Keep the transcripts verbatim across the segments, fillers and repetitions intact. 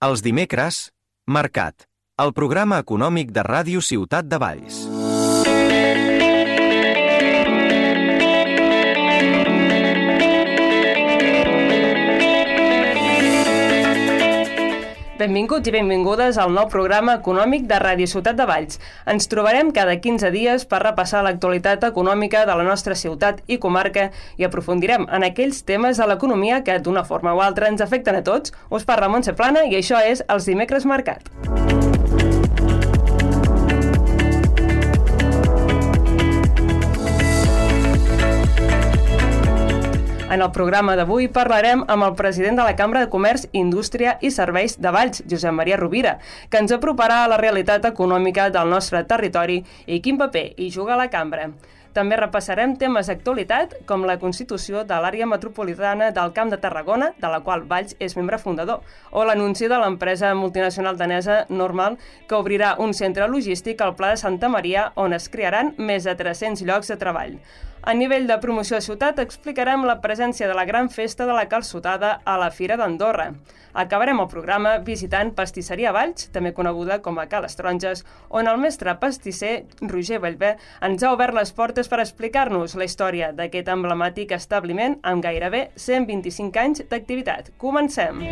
Els dimecres, Mercat, el programa econòmic de Ràdio Ciutat de Valls. Benvinguts i benvingudes al nou programa econòmic de Ràdio Ciutat de Valls. Ens trobarem cada quinze dies per repassar l'actualitat econòmica de la nostra ciutat i comarca i aprofundirem en aquells temes de l'economia que d'una forma o altra ens afecten a tots. Us parla Montse Plana i això és Els Dimecres Mercat. En el programa d'avui parlarem amb el president de la Cambra de Comerç, Indústria i Serveis de Valls, Josep Maria Rovira, que ens aproparà a la realitat econòmica del nostre territori i quin paper hi juga la Cambra. També repassarem temes d'actualitat com la constitució de l'àrea metropolitana del Camp de Tarragona, de la qual Valls és membre fundador, o l'anunci de l'empresa multinacional danesa Normal, que obrirà un centre logístic al Pla de Santa Maria on es crearan més de tres-cents llocs de treball. A nivell de promoció de ciutat explicarem la presència de la gran festa de la calçotada a la Fira d'Andorra. Acabarem el programa visitant Pastisseria Valls, també coneguda com a Ca les Taronges, on el mestre pastisser Roger Bellver ens ha obert les portes per explicar-nos la història d'aquest emblemàtic establiment amb gairebé cent vint-i-cinc anys d'activitat. Comencem!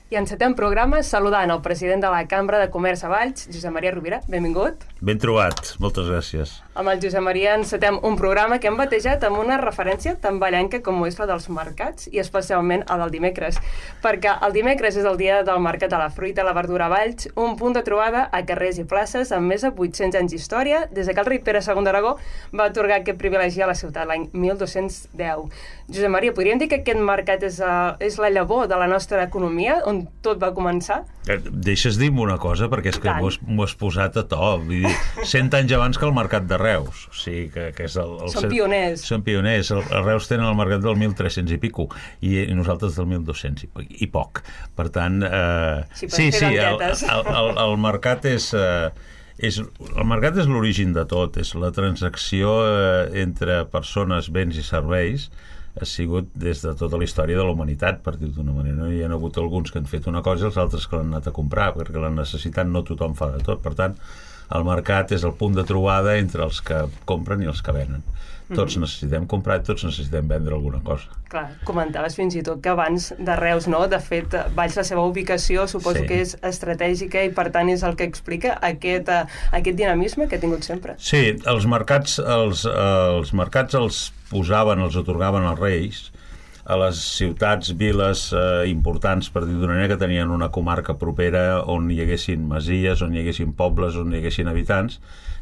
I encetem programa saludant el president de la Cambra de Comerç a Valls, Josep Maria Rovira. Benvingut. Ben trobat, moltes gràcies. Amb el Josep Maria encetem un programa que hem batejat amb una referència tan vallenca com és la dels mercats i especialment el del dimecres, perquè el dimecres és el dia del Mercat de la Fruita i la Verdura a Valls, un punt de trobada a carrers i places amb més de vuit-cents anys d'història, des que el rei Pere segon d'Aragó va atorgar aquest privilegi a la ciutat l'any mil dos-cents deu. Josep Maria, podríem dir que aquest mercat és, uh, és la llavor de la nostra economia, on tot va començar? Deixes dir-me una cosa, perquè és que m'ho has, m'ho has posat a to. Vull dir, cent anys abans que el mercat de Reus. O sigui, que, que és el, el Són pioners. Són pioners. El, el Reus tenen el mercat del mil tres-cents i pico, i, i nosaltres del mil dos-cents i, i poc. Per tant, eh, sí, sí, sí el, el, el, el mercat és... Eh, és el mercat és l'origen de tot, és la transacció eh, entre persones, béns i serveis. Ha sigut des de tota la història de la humanitat, per dir-ho d'una manera. No? Hi ha hagut alguns que han fet una cosa i els altres que l'han anat a comprar, perquè la necessitat no tothom fa de tot. Per tant, el mercat és el punt de trobada entre els que compren i els que venen. Tots mm-hmm. necessitem comprar i tots necessitem vendre alguna cosa. Clar, comentaves fins i tot que abans de Reus, no? De fet, Valls, la seva ubicació suposo sí. que és estratègica i per tant és el que explica aquest, uh, aquest dinamisme que ha tingut sempre. Sí, els mercats els, uh, els mercats els posaven, els atorgaven als reis a les ciutats, viles eh, importants, per dir d'una manera, que tenien una comarca propera on hi haguessin masies, on hi haguessin pobles, on hi haguessin habitants,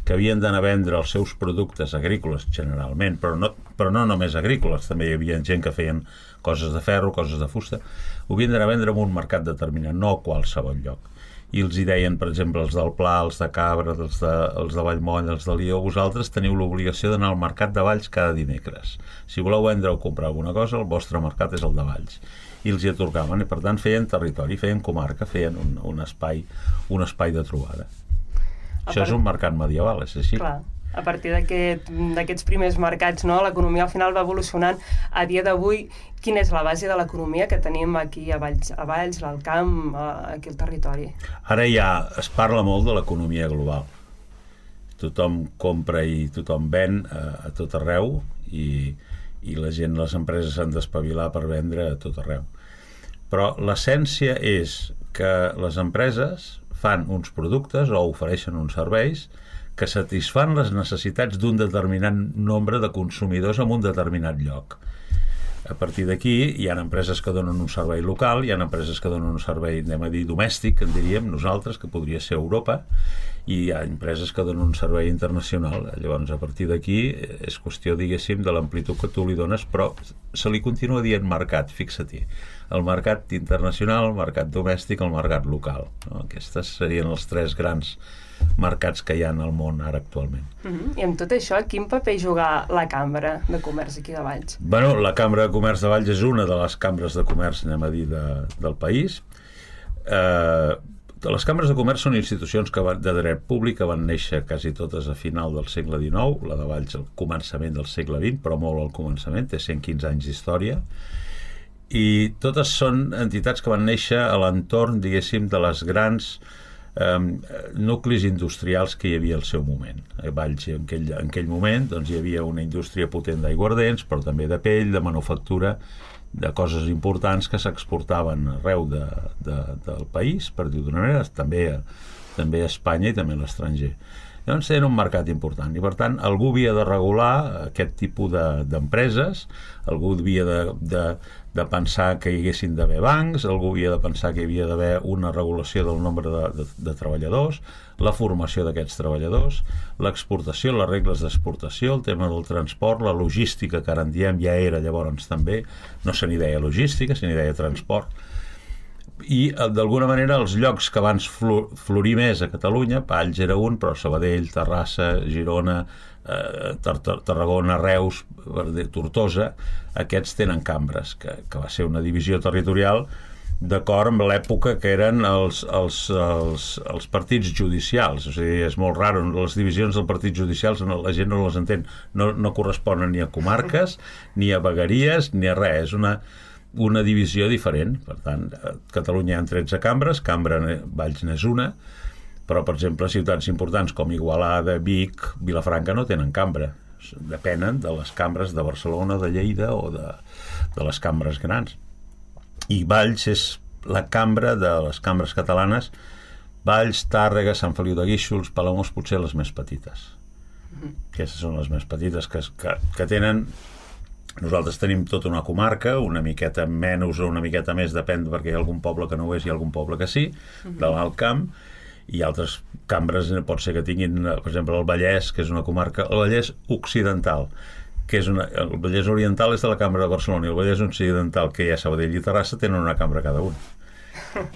que havien d'anar a vendre els seus productes agrícoles, generalment, però no, però no només agrícoles, també hi havia gent que feien coses de ferro, coses de fusta, ho havien d'anar a vendre en un mercat determinat, no a qualsevol lloc. I els hi deien, per exemple, els del Pla, els de Cabra, els de, els de Vallmoll, els de Lió, vosaltres teniu l'obligació d'anar al mercat de Valls cada dimecres. Si voleu vendre o comprar alguna cosa, el vostre mercat és el de Valls. I els hi atorgaven, i per tant feien territori, feien comarca, feien un, un, espai, un espai de trobada. A Això part... és un mercat medieval, és així? Clar. A partir d'aquest, d'aquests primers mercats, no? L'economia al final va evolucionant. A dia d'avui, quina és la base de l'economia que tenim aquí a Valls, a Valls, al camp, aquí al territori? Ara ja es parla molt de l'economia global. Tothom compra i tothom ven a, a tot arreu i, i la gent, les empreses s'han d'espavilar per vendre a tot arreu. Però l'essència és que les empreses fan uns productes o ofereixen uns serveis que satisfan les necessitats d'un determinat nombre de consumidors en un determinat lloc. A partir d'aquí hi ha empreses que donen un servei local, hi ha empreses que donen un servei, anem a dir, domèstic, en diríem nosaltres, que podria ser Europa, i hi ha empreses que donen un servei internacional. Llavors, a partir d'aquí és qüestió, diguéssim, de l'amplitud que tu li dones, però se li continua dient mercat, fixa-t'hi. El mercat internacional, el mercat domèstic, el mercat local. No? Aquestes serien els tres grans mercats que hi ha al món ara actualment. Uh-huh. I amb tot això, quin paper juga la Cambra de Comerç aquí de Valls? Bueno, la Cambra de Comerç de Valls és una de les cambres de comerç, anem a dir, de, del país. Eh, les cambres de comerç són institucions que van, de dret públic, que van néixer quasi totes a final del segle dinou, la de Valls al començament del segle vint, però molt al començament, té cent quinze anys d'història, i totes són entitats que van néixer a l'entorn, diguéssim, de les grans eh, nuclis industrials que hi havia al seu moment. A Valls, en aquell, en aquell moment, doncs, hi havia una indústria potent d'aiguardents, però també de pell, de manufactura, de coses importants que s'exportaven arreu de, de, del país, per dir d'una manera, també a, també a Espanya i també a l'estranger. Llavors era un mercat important i per tant algú havia de regular aquest tipus de, d'empreses, algú havia de, de, de pensar que hi haguessin d'haver bancs, algú havia de pensar que hi havia d'haver una regulació del nombre de, de, de treballadors, la formació d'aquests treballadors, l'exportació, les regles d'exportació, el tema del transport, la logística, que ara en diem ja era llavors també, no se n'hi deia logística, se n'hi deia transport, i d'alguna manera els llocs que abans florir més a Catalunya, Valls era un, però Sabadell, Terrassa, Girona, eh, Tarragona, Reus, Tortosa, aquests tenen cambres, que, que va ser una divisió territorial d'acord amb l'època que eren els, els, els, els partits judicials. O sigui, és molt raro, les divisions dels partits judicials la gent no les entén, no, no corresponen ni a comarques, ni a vegueries, ni a res, és una una divisió diferent. Per tant, a Catalunya hi ha tretze cambres, Cambra Valls n'és una, però, per exemple, ciutats importants com Igualada, Vic, Vilafranca no tenen cambra. Depenen de les cambres de Barcelona, de Lleida o de, de les cambres grans. I Valls és la cambra de les cambres catalanes. Valls, Tàrrega, Sant Feliu de Guíxols, Palamós, potser les més petites. Aquestes són les més petites que, que, que tenen... Nosaltres tenim tota una comarca, una miqueta menys o una miqueta més, depèn, perquè hi ha algun poble que no ho és i algun poble que sí, de l'Alt Camp, i altres cambres pot ser que tinguin, per exemple, el Vallès, que és una comarca, el Vallès Occidental, que és una, el Vallès Oriental és de la Cambra de Barcelona, i el Vallès Occidental, que hi ha Sabadell i Terrassa, tenen una cambra cada un.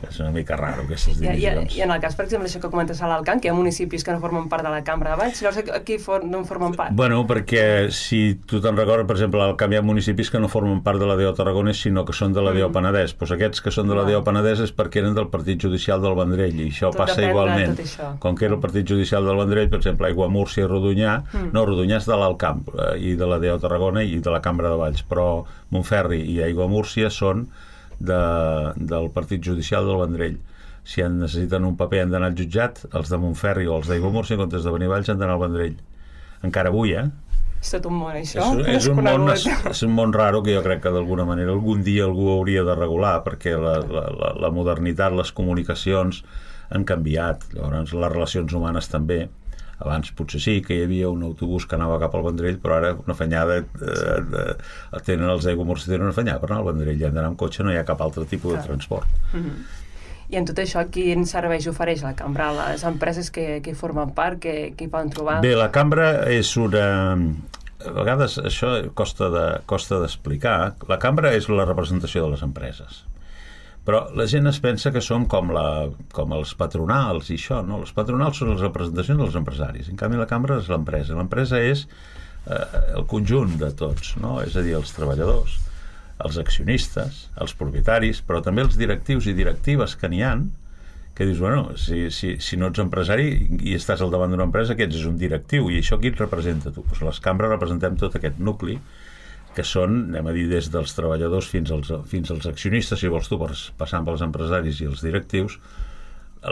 És una mica raro, aquestes divisions. I, i, I en el cas, per exemple, això que comentes a l'Alt Camp, que hi ha municipis que no formen part de la Cambra de Valls, llavors aquí for, no en formen part? Bueno, perquè si tu te'n recordes, per exemple, al Camp hi ha municipis que no formen part de la D O Tarragonès, sinó que són de la D O mm. Penedès. Doncs aquests que són de la D O Penedès és perquè eren del Partit Judicial del Vendrell, i això tot passa igualment. Com que era el Partit Judicial del Vendrell, per exemple, Aiguamúrcia i Rodonyà, mm. no, Rodonyà és de l'Alt Camp, eh, i de la D O Tarragona i de la Cambra de Valls, però Montferri i Aiguamúrcia són de, del Partit Judicial del Vendrell. Si en necessiten un paper han d'anar al jutjat, els de Montferri o els d'Aiguamúrcia, en comptes de venir a Valls han d'anar al Vendrell. Encara avui, eh? És tot un món, això. És, és, un món, és un món raro que jo crec que d'alguna manera algun dia algú hauria de regular, perquè la, la, la, la modernitat, les comunicacions han canviat. Llavors, les relacions humanes també. Abans potser sí que hi havia un autobús que anava cap al Vendrell, però ara una fanyada eh, eh, tenen els d'Aiguamúrcia, tenen una fanyada per anar al Vendrell, i han d'anar amb cotxe, no hi ha cap altre tipus de transport. Mm-hmm. I en tot això, quin serveis ofereix la cambra? Les empreses que, que formen part, que, que hi poden trobar? Bé, la cambra és una... A vegades això costa de, costa d'explicar. La cambra és la representació de les empreses. Però la gent es pensa que som com, la, com els patronals i això, no? Els patronals són les representacions dels empresaris. En canvi, la cambra és l'empresa. L'empresa és eh, el conjunt de tots, no? És a dir, els treballadors, els accionistes, els propietaris, però també els directius i directives que n'hi ha, que dius, bueno, si, si, si no ets empresari i estàs al davant d'una empresa, que ets un directiu, i això qui et representa tu? Pues les cambres representem tot aquest nucli, que són, anem a dir, des dels treballadors fins als, fins als accionistes, si vols tu, passant pels empresaris i els directius,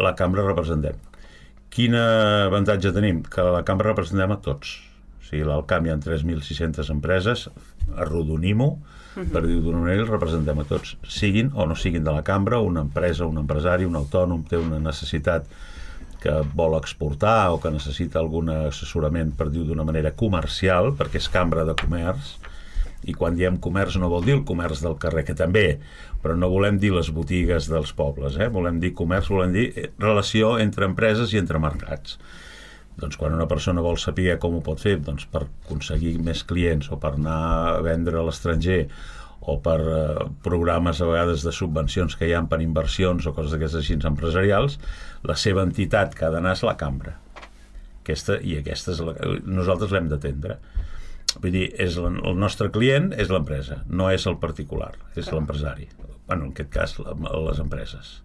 la cambra representem. Quin avantatge tenim? Que la cambra representem a tots. O sigui, al Camp hi ha tres mil sis-centes empreses, arrodonim-ho, per dir d'una manera, els representem a tots, siguin o no siguin de la cambra, una empresa, un empresari, un autònom té una necessitat que vol exportar o que necessita algun assessorament, per dir d'una manera, comercial, perquè és cambra de comerç, i quan diem comerç no vol dir el comerç del carrer, que també, però no volem dir les botigues dels pobles, eh? Volem dir comerç, volem dir relació entre empreses i entre mercats. Doncs quan una persona vol saber com ho pot fer, doncs per aconseguir més clients o per anar a vendre a l'estranger o per eh, programes a vegades de subvencions que hi ha per inversions o coses d'aquestes així empresarials, la seva entitat que ha d'anar és la cambra. Aquesta, i aquesta és la, nosaltres l'hem d'atendre. Vull dir, és la, el nostre client és l'empresa, no és el particular, és l'empresari. Bueno, en aquest cas, la, les empreses.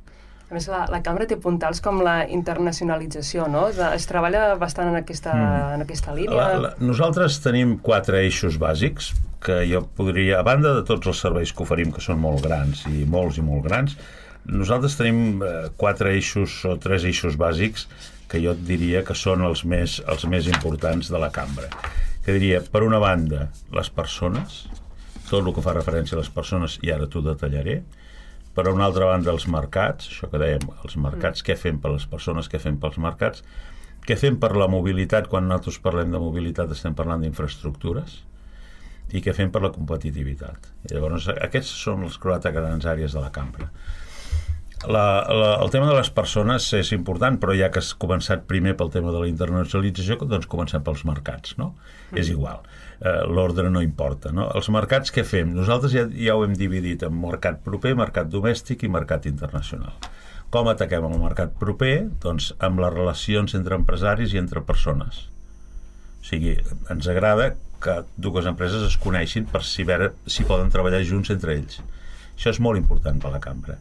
A més, la, la cambra té puntals com la internacionalització, no? De, es treballa bastant en aquesta, mm. en aquesta línia. La, la, nosaltres tenim quatre eixos bàsics que jo podria, a banda de tots els serveis que oferim, que són molt grans i molts i molt grans, nosaltres tenim eh, quatre eixos o tres eixos bàsics que jo et diria que són els més, els més importants de la cambra. Que diria, per una banda, les persones, tot el que fa referència a les persones, i ara t'ho detallaré. Per una altra banda, els mercats, això que dèiem, els mercats, mm. què fem per les persones, què fem pels mercats, què fem per la mobilitat, quan nosaltres parlem de mobilitat estem parlant d'infraestructures, i què fem per la competitivitat. I llavors, aquests són les quatre grans àrees de la cambra. La, la, el tema de les persones és important, però ja que has començat primer pel tema de la internacionalització, doncs comencem pels mercats, no? Mm. És igual. Uh, l'ordre no importa, no? Els mercats, què fem? Nosaltres ja, ja ho hem dividit en mercat proper, mercat domèstic i mercat internacional. Com ataquem el mercat proper? Doncs amb les relacions entre empresaris i entre persones. O sigui, ens agrada que dues empreses es coneixin per si, veure, si poden treballar junts entre ells. Això és molt important per la cambra.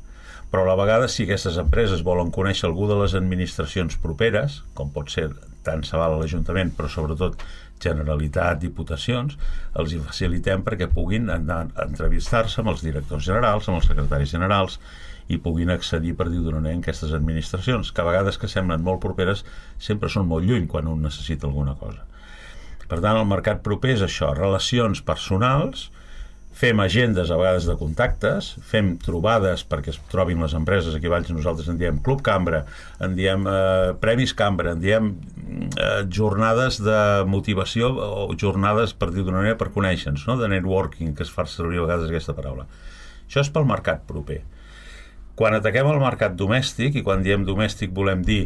Però a la vegada, si aquestes empreses volen conèixer algú de les administracions properes, com pot ser tant se val a l'Ajuntament, però sobretot Generalitat, Diputacions, els hi facilitem perquè puguin anar a entrevistar-se amb els directors generals, amb els secretaris generals, i puguin accedir, per dir-ho d'una manera, en aquestes administracions, que a vegades que semblen molt properes, sempre són molt lluny quan un necessita alguna cosa. Per tant, el mercat proper és això, relacions personals. Fem agendes a vegades de contactes, fem trobades perquè es trobin les empreses. Aquí a Valls nosaltres en diem Club Cambra, en diem eh, Premis Cambra, en diem eh, jornades de motivació o jornades, per dir d'una manera, per conèixer-nos, no? De networking, que es fa servir a vegades aquesta paraula. Això és pel mercat proper. Quan ataquem el mercat domèstic, i quan diem domèstic volem dir,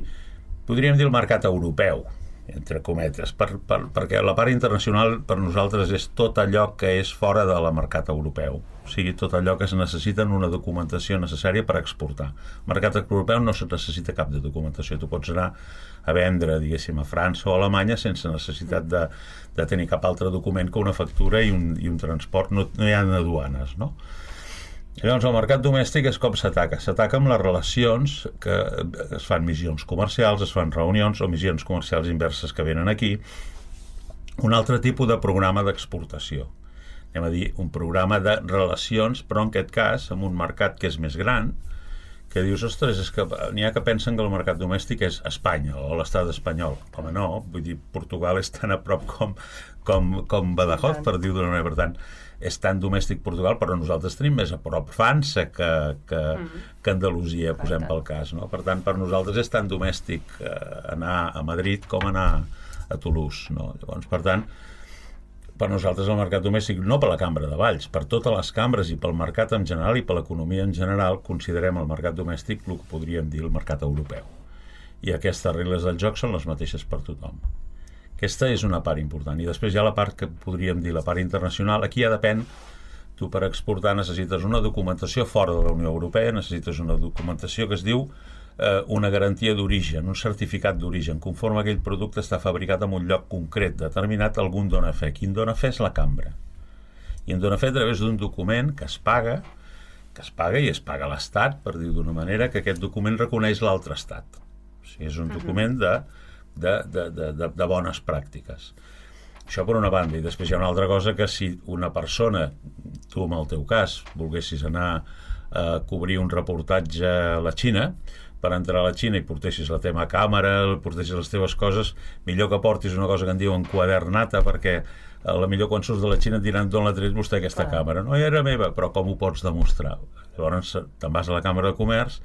podríem dir el mercat europeu, entre cometes, per, per, perquè la part internacional per nosaltres és tot allò que és fora del mercat europeu, o sigui, tot allò que es necessita en una documentació necessària per exportar. El mercat europeu no se necessita cap de documentació, tu pots anar a vendre, diguéssim, a França o a Alemanya sense necessitat de, de tenir cap altre document que una factura i un, i un transport, no, no hi ha aduanes, no? Llavors, el mercat domèstic és com s'ataca. S'ataca amb les relacions, que es fan missions comercials, es fan reunions o missions comercials inverses que venen aquí. Un altre tipus de programa d'exportació. Anem a dir, un programa de relacions, però en aquest cas, amb un mercat que és més gran, que dius, ostres, és que n'hi ha que pensen que el mercat domèstic és Espanya o l'estat espanyol. Home, no, vull dir, Portugal és tan a prop com, com, com Badajoz, per dir-ho d'una manera. Per tant, és tan domèstic Portugal, però nosaltres tenim més a prop França que, que, mm. que Andalusia, posem pel cas, no? Per tant, per nosaltres és tan domèstic eh, anar a Madrid com anar a Toulouse, no? Llavors, per tant, per nosaltres el mercat domèstic, no per la Cambra de Valls, per totes les cambres i pel mercat en general i per l'economia en general, considerem el mercat domèstic el que podríem dir el mercat europeu. I aquestes regles del joc són les mateixes per tothom. Aquesta és una part important. I després hi ha la part que podríem dir la part internacional. Aquí ja depèn. Tu per exportar necessites una documentació fora de la Unió Europea, necessites una documentació que es diu eh, una garantia d'origen, un certificat d'origen, conforme aquell producte està fabricat en un lloc concret, determinat, algun dona fe. Qui en dona fe és la cambra. I en dona fe a través d'un document que es paga, que es paga i es paga a l'Estat, per dir d'una manera, que aquest document reconeix l'altre Estat. O sigui, és un document de De, de, de, de bones pràctiques. Això per una banda. I després hi ha una altra cosa, que si una persona, tu en el teu cas, volguessis anar a cobrir un reportatge a la Xina, per entrar a la Xina i portessis la teva càmera, portessis les teves coses, millor que portis una cosa que en diuen quadernata, perquè a la millor quan surts de la Xina et diran d'on l'ha tret vostè aquesta ah. càmera. No era meva, però com ho pots demostrar? Llavors te'n vas a la Càmera de Comerç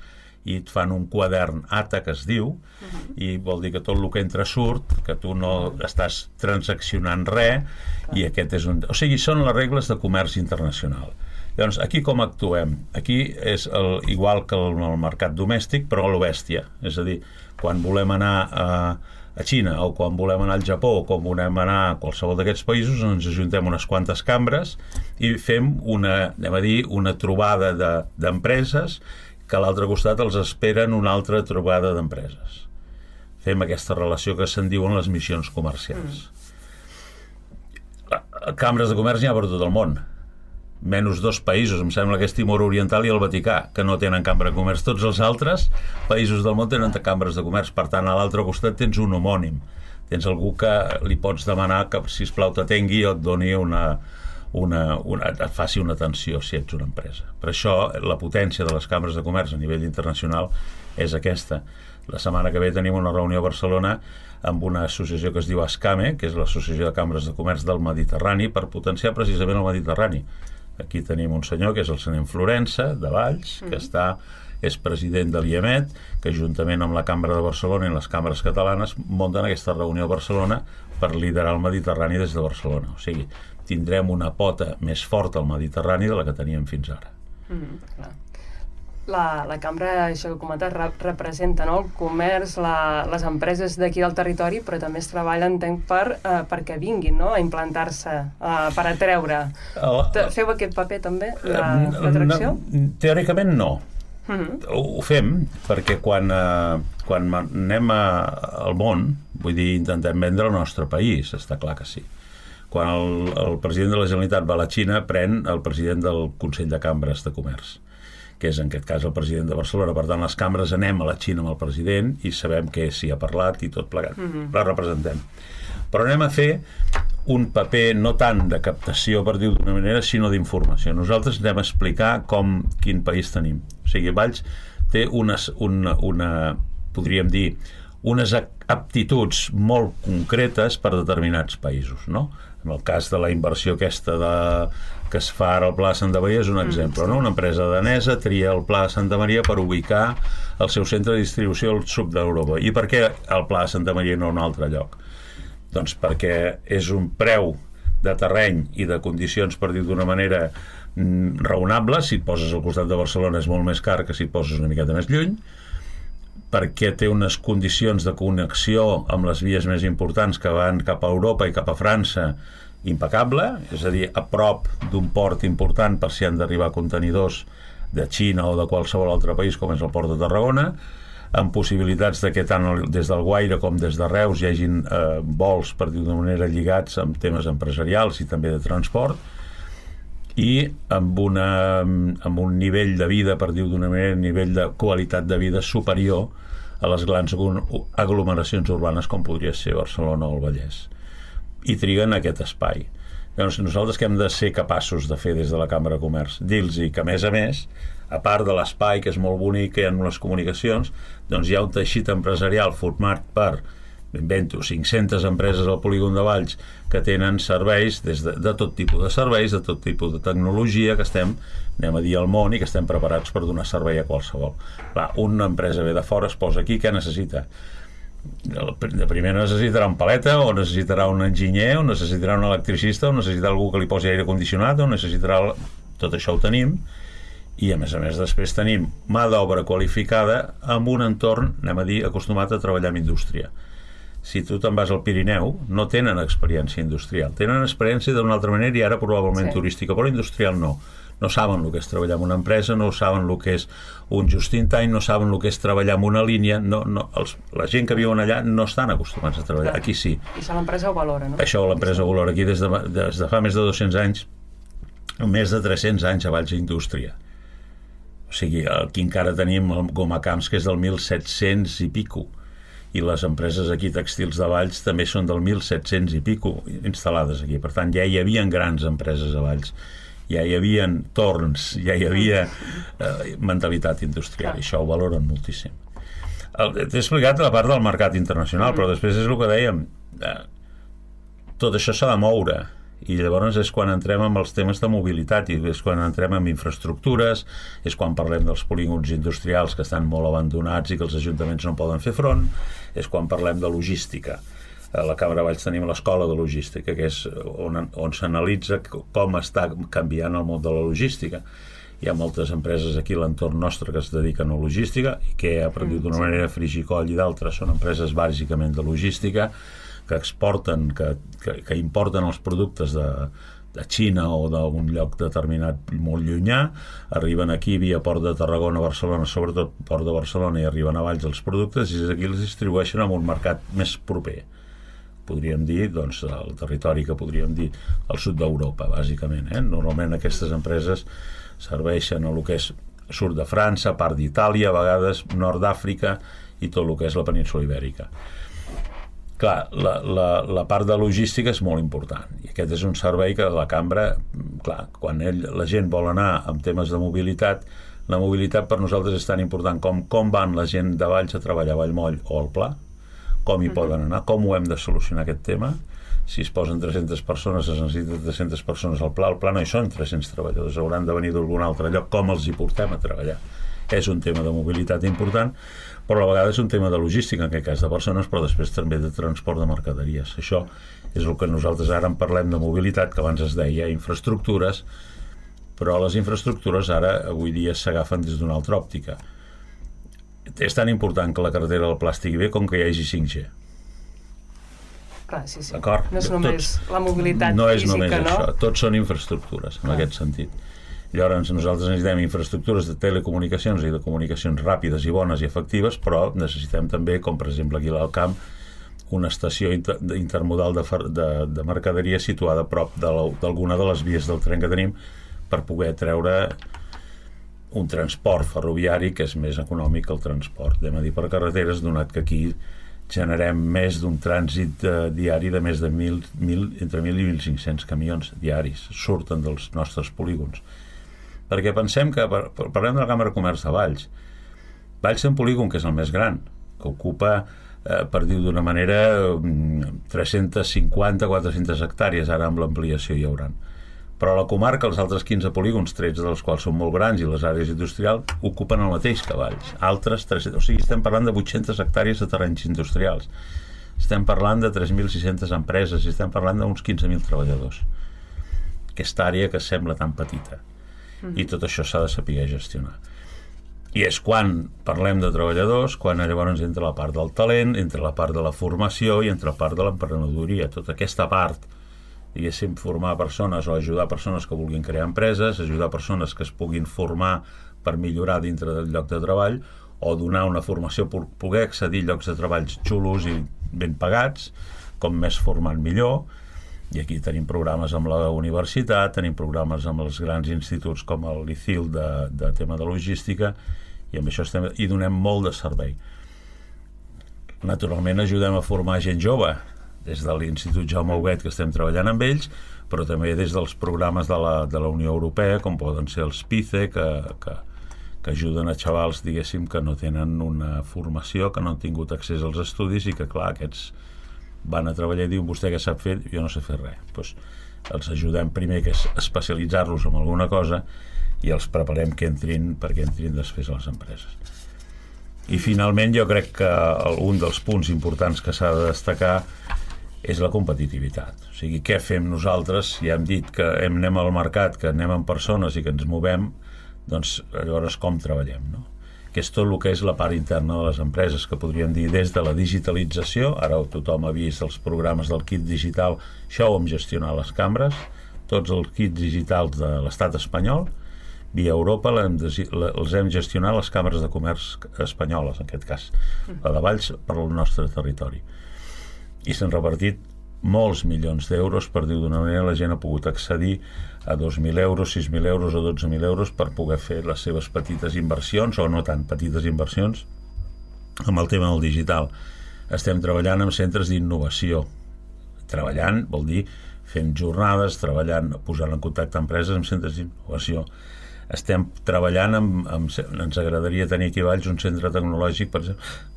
i et fan un quadern A T A, que es diu, uh-huh. i vol dir que tot el que entra surt, que tu no estàs transaccionant res, uh-huh. i aquest és un... O sigui, són les regles de comerç internacional. Llavors, aquí com actuem? Aquí és el, igual que el, el mercat domèstic, però a lo bèstia. És a dir, quan volem anar a, a Xina, o quan volem anar al Japó, o quan volem anar a qualsevol d'aquests països, ens ajuntem unes quantes cambres i fem una, anem a dir, una trobada de, d'empreses que a l'altre costat els esperen una altra trobada d'empreses. Fem aquesta relació que se'n diuen les missions comercials. Mm. Cambres de comerç n'hi ha per tot el món. menys dos països, em sembla que és Timor Oriental i el Vaticà, que no tenen cambra de comerç. Tots els altres països del món tenen cambres de comerç. Per tant, a l'altre costat tens un homònim. Tens algú que li pots demanar que, sisplau, t'atengui o et doni una, una, una, et faci una atenció si ets una empresa. Per això, la potència de les cambres de comerç a nivell internacional és aquesta. La setmana que ve tenim una reunió a Barcelona amb una associació que es diu ASCAME, que és l'Associació de Cambres de Comerç del Mediterrani, per potenciar precisament el Mediterrani. Aquí tenim un senyor que és el senyor Florença, de Valls, que està, és president de l'I E M E T, que juntament amb la Cambra de Barcelona i les cambres catalanes munten aquesta reunió a Barcelona per liderar el Mediterrani des de Barcelona. O sigui, tindrem una pota més forta al Mediterrani de la que teníem fins ara. Mm, clar. La, la cambra, això que comentes, re, representa, no?, el comerç, la, les empreses d'aquí del territori, però també es treballa, entenc, per, eh, perquè vinguin, no?, a implantar-se, eh, per atreure. El, Feu aquest paper també, d'atracció? No, teòricament no. Uh-huh. Ho, ho fem perquè quan, eh, quan anem a, al món, vull dir, intentem vendre el nostre país, està clar que sí. Quan el, el president de la Generalitat va a la Xina, pren el president del Consell de Cambres de Comerç, que és en aquest cas el president de Barcelona. Per tant, les cambres anem a la Xina amb el president i sabem que s'hi ha parlat i tot plegat. Mm-hmm. La representem. Però anem a fer un paper no tant de captació, per dir-ho d'una manera, sinó d'informació. Nosaltres anem a explicar com, quin país tenim. O sigui, Valls té unes, una, una, podríem dir, unes aptituds molt concretes per determinats països, no? En el cas de la inversió aquesta de, que es fa ara al Pla de Santa Maria és un exemple, no? Una empresa danesa tria el Pla de Santa Maria per ubicar el seu centre de distribució al sud d'Europa. I per què el Pla de Santa Maria no en un altre lloc? Doncs perquè és un preu de terreny i de condicions, per dir d'una manera, raonable. Si et poses al costat de Barcelona és molt més car que si et poses una miqueta més lluny, perquè té unes condicions de connexió amb les vies més importants que van cap a Europa i cap a França impecable, és a dir, a prop d'un port important per si han d'arribar contenidors de Xina o de qualsevol altre país com és el port de Tarragona, amb possibilitats de que tant des del Guaire com des de Reus hi hagin eh, vols, per dir d'una manera, lligats amb temes empresarials i també de transport, i amb, una, amb un nivell de vida, per dir d'una manera, un nivell de qualitat de vida superior a les grans aglomeracions urbanes com podria ser Barcelona o el Vallès. I triguen aquest espai. Llavors, nosaltres que hem de ser capaços de fer des de la Cambra de Comerç? Dir-los que, a més a més, a part de l'espai, que és molt bonic, que hi ha les comunicacions, doncs hi ha un teixit empresarial format per, invento, cinc-centes empreses al polígon de Valls que tenen serveis, des de, de tot tipus de serveis, de tot tipus de tecnologia, que estem, anem a dir, al món i que estem preparats per donar servei a qualsevol. Clar, una empresa ve de fora, es posa aquí, què necessita? De primer necessitarà un paleta, o necessitarà un enginyer, o necessitarà un electricista, o necessitarà algú que li posi aire condicionat, o necessitarà... Tot això ho tenim, i a més a més després tenim mà d'obra qualificada amb un entorn, anem a dir, acostumat a treballar amb indústria. Si tu te'n vas al Pirineu, no tenen experiència industrial, tenen experiència d'una altra manera i ara probablement sí. turística, però industrial no. No saben el que és treballar en una empresa, no saben el que és un just-in-time, no saben el que és treballar en una línia, no, no, els, la gent que viuen allà no estan acostumats a treballar, aquí sí. I això l'empresa ho valora, no? Això l'empresa ho valora aquí des de, des de fa més de dos-cents anys, més de tres-cents anys a Valls Indústria. O sigui, aquí encara tenim el Gomacamps, que és del mil set-cents i pico, i les empreses aquí tèxtils de Valls també són del mil set-cents i pico instal·lades aquí. Per tant, ja hi havia grans empreses a Valls, ja hi havia torns, ja hi havia eh, mentalitat industrial, i això ho valoren moltíssim. T'he explicat la part del mercat internacional, però després és el que dèiem, eh, tot això s'ha de moure, i llavors és quan entrem amb els temes de mobilitat, i és quan entrem amb infraestructures, és quan parlem dels polígons industrials que estan molt abandonats i que els ajuntaments no poden fer front, és quan parlem de logística. A la Cambra de Valls tenim l'escola de logística, que és on, on s'analitza com està canviant el món de la logística. Hi ha moltes empreses aquí a l'entorn nostre que es dediquen a logística, i que, per dir d'una manera, Frigicoll i d'altres són empreses bàsicament de logística, que exporten, que, que, que importen els productes de, de Xina o d'un lloc determinat molt llunyà, arriben aquí via Port de Tarragona, Barcelona, sobretot Port de Barcelona, i arriben a Valls els productes, i aquí els distribueixen en un mercat més proper. podríem dir, doncs, el territori que podríem dir el sud d'Europa, bàsicament. Eh? Normalment aquestes empreses serveixen a el que és sud de França, part d'Itàlia, a vegades nord d'Àfrica i tot el que és la península Ibèrica. Clar, la, la, la part de logística és molt important i aquest és un servei que la cambra, clar, quan ell, la gent vol anar amb temes de mobilitat, la mobilitat per nosaltres és tan important com com van la gent de Valls a treballar a Vallmoll o al Pla, com hi poden anar, com ho hem de solucionar aquest tema. Si es posen tres-centes persones, es necessiten tres-centes persones al Pla, al Pla no hi són tres-cents treballadors, hauran de venir d'algun altre lloc, com els hi portem a treballar. És un tema de mobilitat important, però a la vegada és un tema de logística, en aquest cas de persones, però després també de transport de mercaderies. Això és el que nosaltres ara en parlem de mobilitat, que abans es deia infraestructures, però les infraestructures ara, avui dia, s'agafen des d'una altra òptica. És tan important que la carretera del Pla estigui bé com que hi hagi cinc G. Clar, sí, sí. D'acord? No és només Tots, la mobilitat no és física, només no? Això. Tots són infraestructures, en Clar. Aquest sentit. Llavors, nosaltres necessitem infraestructures de telecomunicacions i de comunicacions ràpides i bones i efectives, però necessitem també, com per exemple aquí a l'Alcamp, una estació inter intermodal de, de, de mercaderia situada a prop d'alguna de, de les vies del tren que tenim per poder treure un transport ferroviari que és més econòmic que el transport, anem a dir, per carreteres, donat que aquí generem més d'un trànsit eh, diari de més de mil, mil, entre mil i mil cinc-cents camions diaris, surten dels nostres polígons. Perquè pensem que, parlem de la Cambra de Comerç de Valls, Valls té un polígon que és el més gran, que ocupa, eh, per dir d'una manera, tres-centes cinquanta a quatre-centes hectàrees, ara amb l'ampliació hi hauran. Però a la comarca, els altres quinze polígons, tretze dels quals són molt grans i les àrees industrials, ocupen el mateix que Valls. Altres, tres-cents, o sigui, estem parlant de vuit-centes hectàrees de terrenys industrials. Estem parlant de tres mil sis-centes empreses i estem parlant d'uns quinze mil treballadors. Aquesta àrea que sembla tan petita. I tot això s'ha de saber gestionar. I és quan parlem de treballadors, quan llavors entra la part del talent, entra la part de la formació i entra la part de l'emprenedoria. Tota aquesta part, diguéssim, formar persones o ajudar persones que vulguin crear empreses, ajudar persones que es puguin formar per millorar dintre del lloc de treball o donar una formació per poder accedir a llocs de treballs xulos i ben pagats, com més formant millor. I aquí tenim programes amb la universitat, tenim programes amb els grans instituts com l'I C I L de, de tema de logística i amb això estem, i donem molt de servei. Naturalment ajudem a formar gent jove des de l'Institut Jaume Huguet, que estem treballant amb ells, però també des dels programes de la, de la Unió Europea, com poden ser els PICE, que, que, que ajuden a xavals, diguéssim, que no tenen una formació, que no han tingut accés als estudis i que, clar, aquests van a treballar i diuen, vostè què sap fer? Jo no sé fer res. Pues, els ajudem primer que és especialitzar-los en alguna cosa i els preparem que entrin perquè entrin després a les empreses. I finalment jo crec que un dels punts importants que s'ha de destacar és la competitivitat. O sigui, què fem nosaltres? Ja hem dit que anem al mercat, que anem amb persones i que ens movem, doncs llavors com treballem, no? Que és tot el que és la part interna de les empreses, que podríem dir des de la digitalització, ara tothom ha vist els programes del kit digital, això ho hem gestionat les cambres, tots els kits digitals de l'estat espanyol, via Europa hem de, els hem gestionat les càmeres de comerç espanyoles, en aquest cas, la de Valls per al nostre territori. I s'han repartit molts milions d'euros, per dir d'una manera, la gent ha pogut accedir a dos mil euros, sis mil euros o dotze mil euros per poder fer les seves petites inversions, o no tan petites inversions, amb el tema del digital. Estem treballant amb centres d'innovació. Treballant vol dir fent jornades, treballant, posant en contacte empreses amb centres d'innovació. Estem treballant amb, amb... Ens agradaria tenir aquí a Valls un centre tecnològic, per,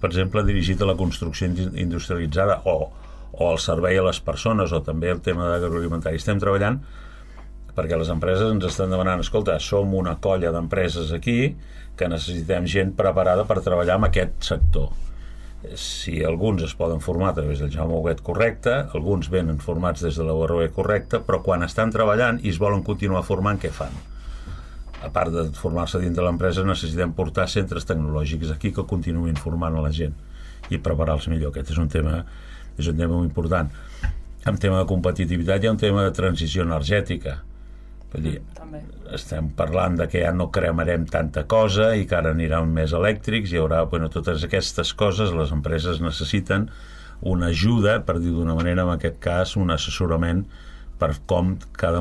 per exemple, dirigit a la construcció industrialitzada o, o al servei a les persones, o també el tema d'agroalimentari. Estem treballant perquè les empreses ens estan demanant, escolta, som una colla d'empreses aquí que necessitem gent preparada per treballar en aquest sector. Si alguns es poden formar a través del Jaume Huguet correcte, alguns venen formats des de la U R B correcta, però quan estan treballant i es volen continuar formant, què fan? A part de formar-se dins de l'empresa, necessitem portar centres tecnològics aquí que continuïn formant a la gent i preparar-los millor. Aquest és un tema, és un tema molt important. En tema de competitivitat hi ha un tema de transició energètica. Vull dir, estem parlant de que ja no cremarem tanta cosa i que ara aniran més elèctrics, hi haurà, bueno, totes aquestes coses les empreses necessiten una ajuda, per dir d'una manera, en aquest cas, un assessorament per com cada,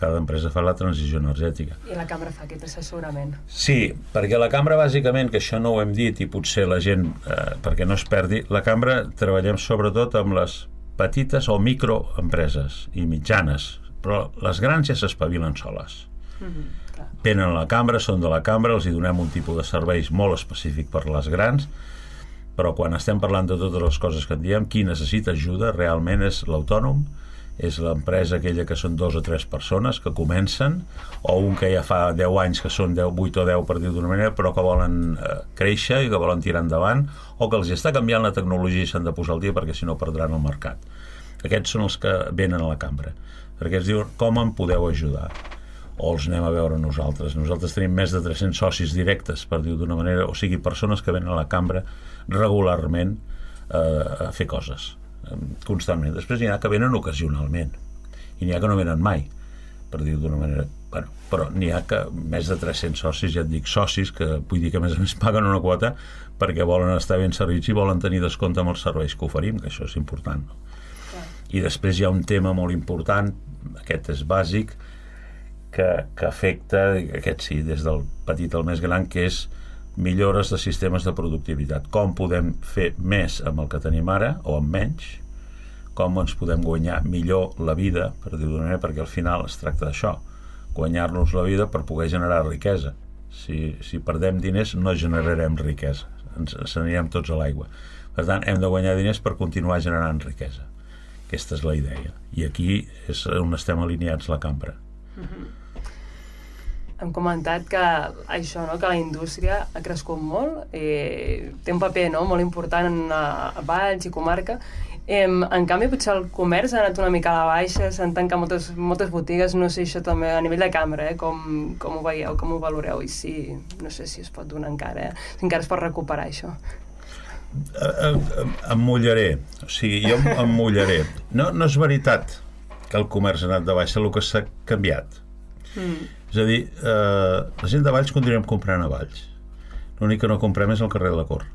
cada empresa fa la transició energètica. I la cambra fa aquest assessorament? Sí, perquè la cambra, bàsicament, que això no ho hem dit i potser la gent, eh, perquè no es perdi, la cambra treballem sobretot amb les petites o microempreses i mitjanes, però les grans ja s'espavilen soles. Mm-hmm, venen a la cambra, són de la cambra, els hi donem un tipus de serveis molt específic per les grans, però quan estem parlant de totes les coses que en diem, qui necessita ajuda realment és l'autònom, és l'empresa aquella que són dos o tres persones que comencen, o un que ja fa deu anys que són deu, vuit o deu per dir d'una manera, però que volen eh, créixer i que volen tirar endavant, o que els està canviant la tecnologia i s'han de posar al dia perquè si no perdran el mercat. Aquests són els que venen a la cambra, perquè es diuen com em podeu ajudar, o els anem a veure nosaltres. Nosaltres tenim més de tres-cents socis directes, per dir d'una manera, o sigui, persones que venen a la cambra regularment eh, a fer coses constantment. Després n'hi ha que venen ocasionalment i n'hi ha que no venen mai, per dir d'una manera, bueno, però n'hi ha que més de tres-cents socis, ja et dic socis, que vull dir que a més a més paguen una quota perquè volen estar ben servits i volen tenir descompte amb els serveis que oferim, que això és important, no? Yeah. I després hi ha un tema molt important, aquest és bàsic, que, que afecta, aquest sí, des del petit al més gran, que és millores de sistemes de productivitat. Com podem fer més amb el que tenim ara o amb menys, com ens podem guanyar millor la vida, per dir d'una manera, perquè al final es tracta d'això, guanyar-nos la vida per poder generar riquesa. Si, si perdem diners no generarem riquesa, ens, ens anirem tots a l'aigua. Per tant, hem de guanyar diners per continuar generant riquesa. Aquesta és la idea. I aquí és on estem alineats la cambra. Mm-hmm. Hem comentat que això, no, que la indústria ha crescut molt, eh, té un paper, no, molt important a, a Valls i comarca. Eh, en canvi, potser el comerç ha anat una mica a la baixa, s'han tancat moltes, moltes botigues, no sé, això també a nivell de cambra, eh, com, com ho veieu, com ho valoreu, i si, no sé si es pot donar encara, eh, si encara es pot recuperar això. Em mullaré, o sigui, jo em mullaré. No, no és veritat que el comerç ha anat de baixa, el que s'ha canviat. Mm. És a dir, eh, la gent de Valls continuem comprant a Valls. L'únic que no comprem és al carrer de la Cort.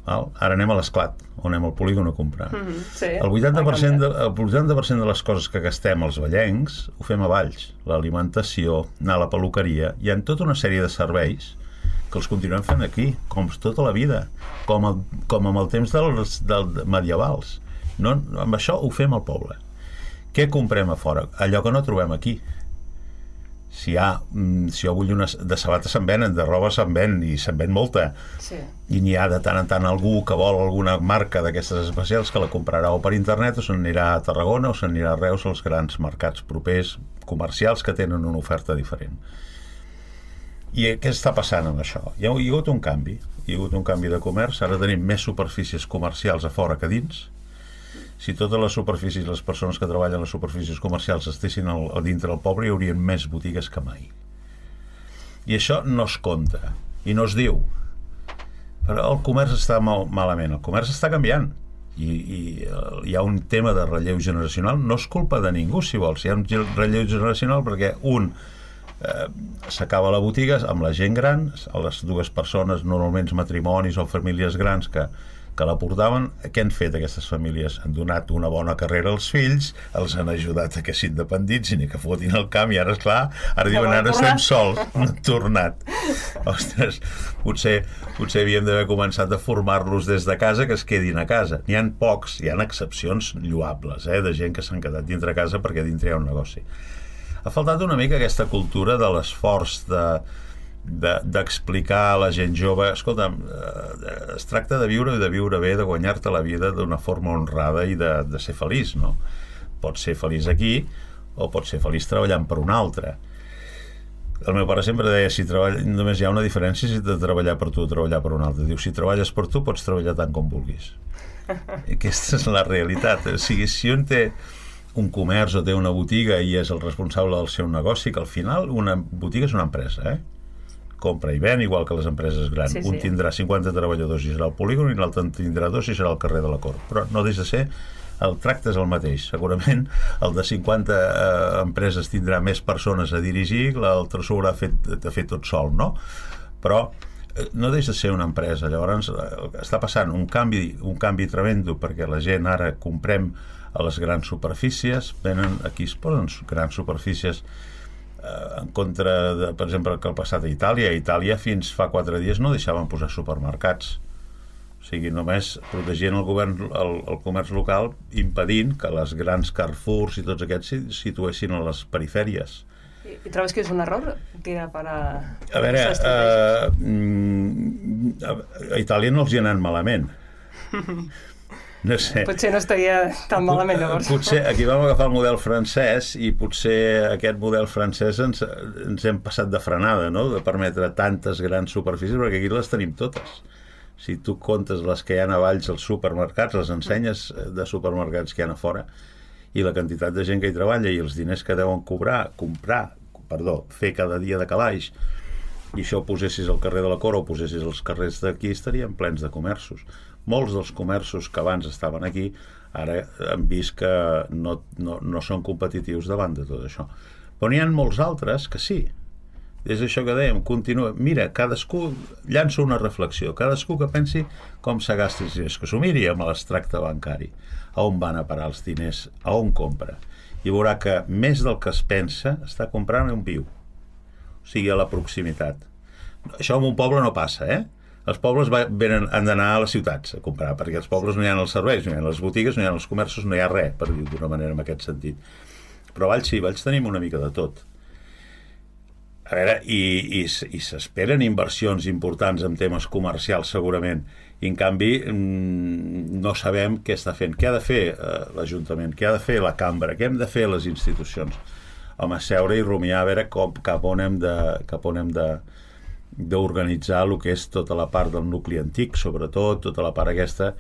Val? Ara anem a l'Esclat, o anem al polígon a comprar. Mm-hmm, sí, el vuitanta per cent de, el vuitanta per cent de les coses que gastem els vallencs ho fem a Valls. L'alimentació, anar a la peluqueria, hi ha tota una sèrie de serveis que els continuem fent aquí, com tota la vida, com, el, com amb el temps dels, dels medievals. No, amb això ho fem al poble. Què comprem a fora? Allò que no trobem aquí. Si, ha, si jo vull una de sabates se'n venen, de roba se'n ven i se'n ven molta, sí. I n'hi ha de tant en tant algú que vol alguna marca d'aquestes especials que la comprarà o per internet o se'n anirà a Tarragona o se'n anirà a Reus, als grans mercats propers comercials que tenen una oferta diferent. I què està passant amb això? Hi ha, hi ha hagut un canvi hi ha hagut un canvi de comerç, ara tenim més superfícies comercials a fora que dins. Si totes les superfícies, les persones que treballen a les superfícies comercials estessin al, a dintre del poble, hi haurien més botigues que mai. I això no es compta, i no es diu. Però el comerç està mal, malament, el comerç està canviant. I, i uh, hi ha un tema de relleu generacional, no és culpa de ningú, si vols. Hi ha un relleu generacional perquè un eh, s'acaba la botiga amb la gent gran, a les dues persones, normalment matrimonis o famílies grans que que la portaven. Què han fet aquestes famílies? Han donat una bona carrera als fills, els han ajudat a que s'independits i que fotin el camp, i ara, esclar, ara diuen, ara estem sols, no han tornat. Ostres, potser, potser havíem d'haver començat a formar-los des de casa, que es quedin a casa. N'hi ha pocs, hi ha excepcions lloables, eh, de gent que s'han quedat dintre casa perquè dintre hi ha un negoci. Ha faltat una mica aquesta cultura de l'esforç de d'explicar a la gent jove, escolta'm, eh, es tracta de viure i de viure bé, de guanyar-te la vida d'una forma honrada i de, de ser feliç, no? Pots ser feliç aquí o pots ser feliç treballant per un altre. El meu pare sempre deia, si treballa, només hi ha una diferència si de treballar per tu o treballar per un altre. Diu, si treballes per tu pots treballar tant com vulguis. I aquesta és la realitat. O sigui, si un té un comerç o té una botiga i és el responsable del seu negoci, que al final una botiga és una empresa, eh? Compra i ven, igual que les empreses grans. Sí, sí. Un tindrà cinquanta treballadors i serà al polígon, i l'altre en tindrà dos i serà al carrer de la Cort. Però no deixa de ser, el tracte és el mateix. Segurament el de cinquanta eh, empreses tindrà més persones a dirigir, l'altre s'ho haurà fet, de fer tot sol, no? Però no deixa de ser una empresa. Llavors està passant un canvi, un canvi tremendo, perquè la gent ara comprem a les grans superfícies, venen aquí, es posen grans superfícies eh, en contra de, per exemple, que el passat a Itàlia. A Itàlia fins fa quatre dies no deixaven posar supermercats. O sigui, només protegien el govern, el, el comerç local, impedint que les grans Carrefours i tots aquests s'hi situessin a les perifèries. I, I trobes que és un error tirar per a... A veure, uh, a Itàlia no els hi ha anat malament. No sé. Potser no estaria tan malament, llavors. Potser aquí vam agafar el model francès i potser aquest model francès ens, ens hem passat de frenada, no?, de permetre tantes grans superfícies, perquè aquí les tenim totes. Si tu comptes les que hi ha a Valls, els supermercats, les ensenyes de supermercats que hi ha a fora, i la quantitat de gent que hi treballa i els diners que deuen cobrar, comprar, perdó, fer cada dia de calaix, i això ho posessis al carrer de la Cora o ho posessis als carrers d'aquí, estarien plens de comerços. Molts dels comerços que abans estaven aquí ara han vist que no, no, no són competitius davant de tot això. Però n'hi ha molts altres que sí. És això que dèiem, continua. Mira, cadascú llança una reflexió, cadascú que pensi com se gasta els diners, que s'ho miri amb l'extracte bancari, a on van a parar els diners, a on compra, i veurà que més del que es pensa està comprant on viu, o sigui, a la proximitat. Això en un poble no passa, eh? Els pobles venen, han d'anar a les ciutats a comprar, perquè els pobles no hi ha els serveis, no hi ha les botigues, no hi ha els comerços, no hi ha res, per dir-ho d'una manera en aquest sentit. Però a Valls sí, a Valls tenim una mica de tot. A veure, i, i, i s'esperen inversions importants en temes comercials segurament, i en canvi no sabem què està fent. Què ha de fer eh, l'Ajuntament? Què ha de fer la cambra? Què hem de fer les institucions? Home, seure i rumiar a veure com, cap on hem de, cap on hem de d'organitzar el que és tota la part del nucli antic, sobretot, tota la part aquesta,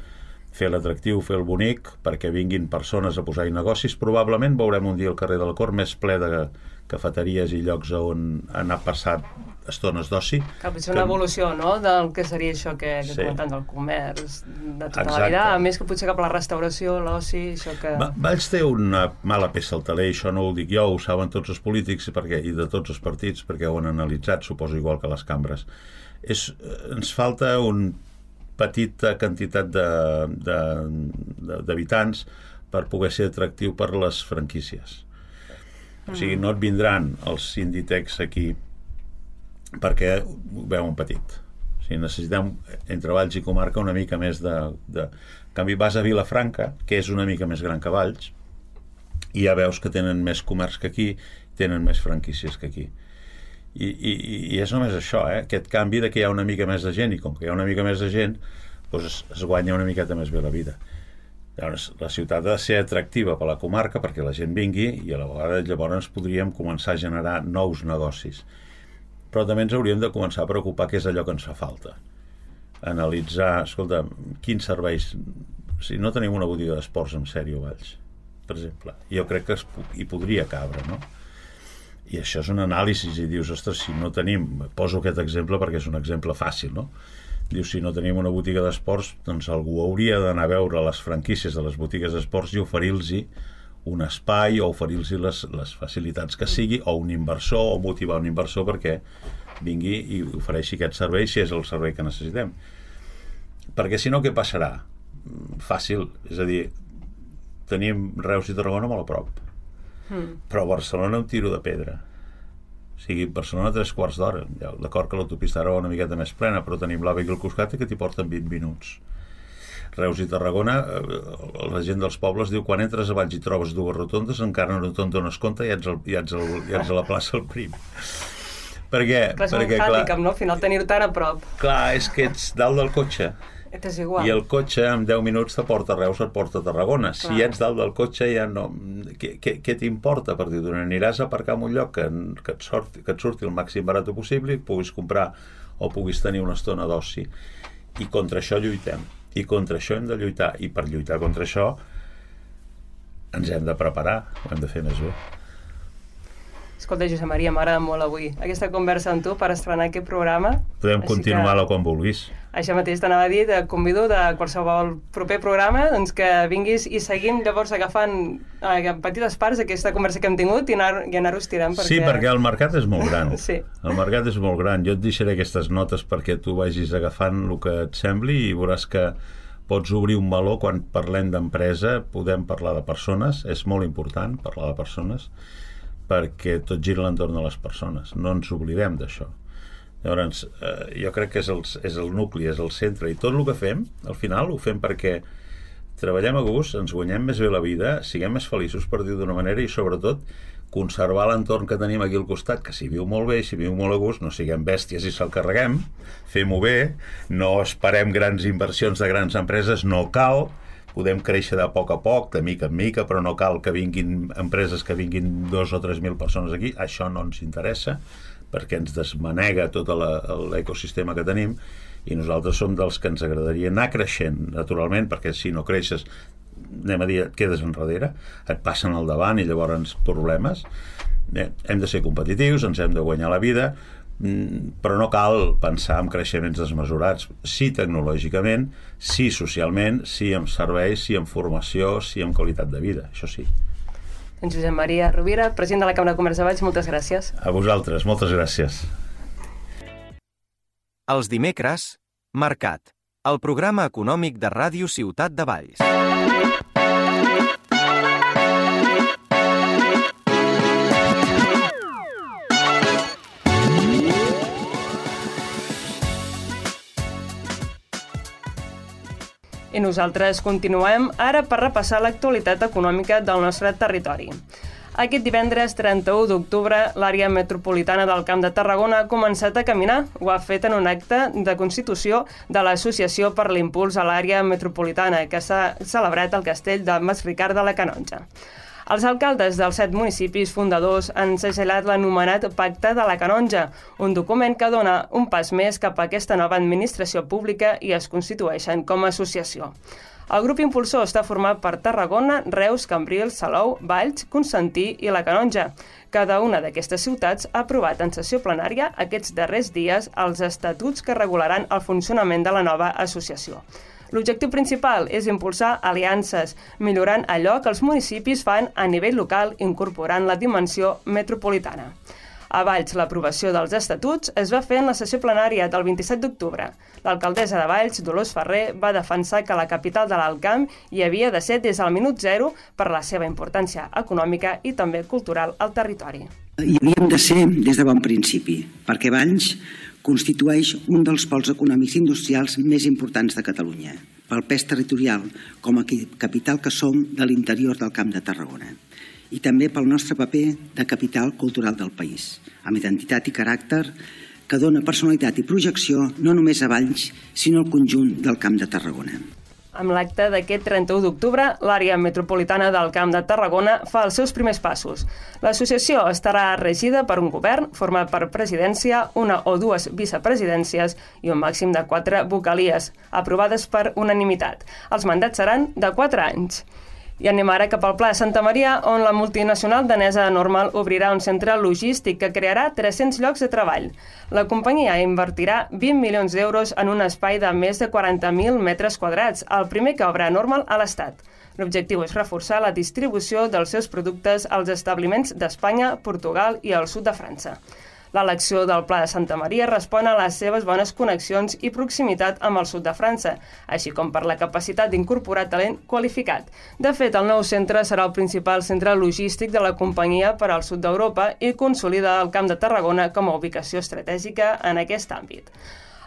fer l'atractiu, fer el bonic, perquè vinguin persones a posar-hi negocis. Probablement veurem un dia el carrer de la Cor més ple de cafeteries i llocs on han passat estones d'oci. Cal potser una que... evolució, no?, del que seria això que, que sí. comentant del comerç, de tota Exacte. La vida, a més que potser cap a la restauració, l'oci, això que... Va, Valls té una mala peça al taler, això no ho dic jo, ho saben tots els polítics perquè, i de tots els partits, perquè ho han analitzat, suposo igual que les cambres. És, ens falta una petita quantitat d'habitants per poder ser atractiu per les franquícies. O sigui, no et vindran els Inditex aquí perquè ho veuen petit. O sigui, necessitem entre Valls i comarca una mica més de, de... En canvi, vas a Vilafranca, que és una mica més gran que Valls, i ja veus que tenen més comerç que aquí, tenen més franquícies que aquí. I, i, i és només això, eh? Aquest canvi de que hi ha una mica més de gent, i com que hi ha una mica més de gent, doncs es, es guanya una miqueta més bé la vida. Llavors, la ciutat ha de ser atractiva per la comarca perquè la gent vingui, i a la vegada llavors podríem començar a generar nous negocis. Però també ens hauríem de començar a preocupar què és allò que ens fa falta. Analitzar, escolta, quins serveis... Si no tenim una botiga d'esports en sèrio a Valls, per exemple, jo crec que es, hi podria cabre, no? I això és un anàlisi, i dius, ostres, si no tenim... Poso aquest exemple perquè és un exemple fàcil, no? Dius, si no tenim una botiga d'esports, doncs algú hauria d'anar a veure les franquícies de les botigues d'esports i oferir-los un espai o oferir-los les, les facilitats que sigui, o un inversor, o motivar un inversor perquè vingui i ofereixi aquest servei si és el servei que necessitem. Perquè si no, què passarà? Fàcil, és a dir, tenim Reus i Tarragona molt a prop, mm. però a Barcelona un tiro de pedra. O sigui, Barcelona tres quarts d'hora. D'acord que l'autopista ara va una miqueta més plena, però tenim l'A V E aquí al costat que t'hi porten vint minuts. Reus i Tarragona, la gent dels pobles diu quan entres a Valls i trobes dues rotondes, encara no te'n dones compte i ja ets, el, ja ets, el, ja ets a la plaça el prim. Per què? Clar, és perquè, un hàndicap, no? Al final tenir-ho tan a prop. Clar, és que ets dalt del cotxe. És igual. I el cotxe en deu minuts te porta a Reus, et porta a Tarragona. Clar. Si ets dalt del cotxe ja no... Què, què, què t'importa? Per dir, aniràs a aparcar en un lloc que, que, et sorti, que et surti el màxim barat possible i puguis comprar o puguis tenir una estona d'oci. I contra això lluitem. I contra això hem de lluitar. I per lluitar contra això ens hem de preparar, ho hem de fer més bé. Escolta, Josep Maria, m'agrada molt avui aquesta conversa amb tu per estrenar aquest programa. Podem Així continuar-la que... com vulguis. Això mateix t'anava a dir, te convido de qualsevol proper programa doncs que vinguis i seguim llavors agafant eh, petites parts d'aquesta conversa que hem tingut i anar, i anar-ho estirant. Perquè... Sí, perquè el mercat és molt gran. Sí. El mercat és molt gran. Jo et deixaré aquestes notes perquè tu vagis agafant el que et sembli i veuràs que pots obrir un meló. Quan parlem d'empresa podem parlar de persones, és molt important parlar de persones, perquè tot gira a l'entorn de les persones, no ens oblidem d'això. Llavors, eh, jo crec que és el, és el nucli, és el centre, i tot el que fem, al final ho fem perquè treballem a gust, ens guanyem més bé la vida, siguem més feliços, per dir d'una manera, i sobretot conservar l'entorn que tenim aquí al costat, que si viu molt bé i si viu molt a gust, no siguem bèsties i se'l carreguem, fem-ho bé, no esperem grans inversions de grans empreses, no cal, podem créixer de poc a poc, de mica en mica, però no cal que vinguin empreses que vinguin dos o tres mil persones aquí, això no ens interessa, perquè ens desmanega tot l'ecosistema que tenim, i nosaltres som dels que ens agradaria anar creixent naturalment, perquè si no creixes, anem a dir, et quedes enrere, et passen al davant i llavors problemes. Bé, hem de ser competitius, ens hem de guanyar la vida, però no cal pensar en creixements desmesurats, sí tecnològicament, sí socialment, sí en serveis, sí en formació, sí en qualitat de vida, això sí. En Josep Maria Rovira, president de la Cambra de Comerç de Valls, moltes gràcies. A vosaltres, moltes gràcies. Els dimecres, Mercat, el programa econòmic de Ràdio Ciutat de Valls. I nosaltres continuem ara per repassar l'actualitat econòmica del nostre territori. Aquest divendres trenta-u d'octubre, l'àrea metropolitana del Camp de Tarragona ha començat a caminar. Ho ha fet en un acte de constitució de l'Associació per l'Impuls a l'Àrea Metropolitana, que s'ha celebrat al castell de Masricard de la Canonja. Els alcaldes dels set municipis fundadors han segellat l'anomenat Pacte de la Canonja, un document que dona un pas més cap a aquesta nova administració pública i es constitueixen com a associació. El grup impulsor està format per Tarragona, Reus, Cambrils, Salou, Valls, Constantí i la Canonja. Cada una d'aquestes ciutats ha aprovat en sessió plenària aquests darrers dies els estatuts que regularan el funcionament de la nova associació. L'objectiu principal és impulsar aliances, millorant allò que els municipis fan a nivell local, incorporant la dimensió metropolitana. A Valls, l'aprovació dels estatuts es va fer en la sessió plenària del vint-i-set d'octubre. L'alcaldessa de Valls, Dolors Ferrer, va defensar que la capital de l'Alt Camp hi havia de ser des del minut zero per la seva importància econòmica i també cultural al territori. Hi havíem de ser des de bon principi, perquè Valls constitueix un dels pols econòmics industrials més importants de Catalunya, pel pes territorial com a capital que som de l'interior del Camp de Tarragona, i també pel nostre paper de capital cultural del país, amb identitat i caràcter que dona personalitat i projecció no només a Valls, sinó al conjunt del Camp de Tarragona. Amb l'acte d'aquest trenta-u d'octubre, l'àrea metropolitana del Camp de Tarragona fa els seus primers passos. L'associació estarà regida per un govern format per presidència, una o dues vicepresidències i un màxim de quatre vocalies, aprovades per unanimitat. Els mandats seran de quatre anys. I anem ara cap al Pla de Santa Maria, on la multinacional danesa Normal obrirà un centre logístic que crearà tres-cents llocs de treball. La companyia invertirà vint milions d'euros en un espai de més de quaranta mil metres quadrats, el primer que obre Normal a l'Estat. L'objectiu és reforçar la distribució dels seus productes als establiments d'Espanya, Portugal i el sud de França. L'elecció del Pla de Santa Maria respon a les seves bones connexions i proximitat amb el sud de França, així com per la capacitat d'incorporar talent qualificat. De fet, el nou centre serà el principal centre logístic de la companyia per al sud d'Europa i consolida el Camp de Tarragona com a ubicació estratègica en aquest àmbit.